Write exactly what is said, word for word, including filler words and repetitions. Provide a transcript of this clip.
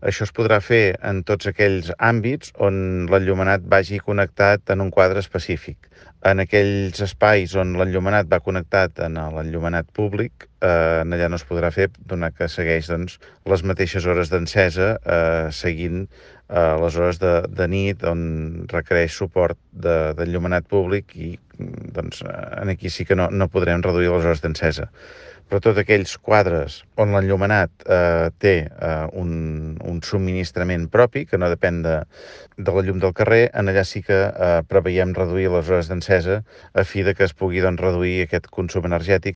Això es podrà fer en tots aquells àmbits on l'enllumenat vagi connectat en un quadre específic. En aquells espais on l'enllumenat va connectat en l'enllumenat públic, eh, allà no es podrà fer, donat que segueix doncs, les mateixes hores d'encesa, eh, seguint eh, les hores de, de nit, on requereix suport d'enllumenat públic i doncs, en aquí sí que no, no podrem reduir les hores d'encesa. Però tots aquells quadres on l'enllumenat eh, té eh, un, un subministrament propi, que no depèn de, de la llum del carrer, en allà sí que eh, preveiem reduir les hores d'encesa a fi de que es pugui doncs, reduir aquest consum energètic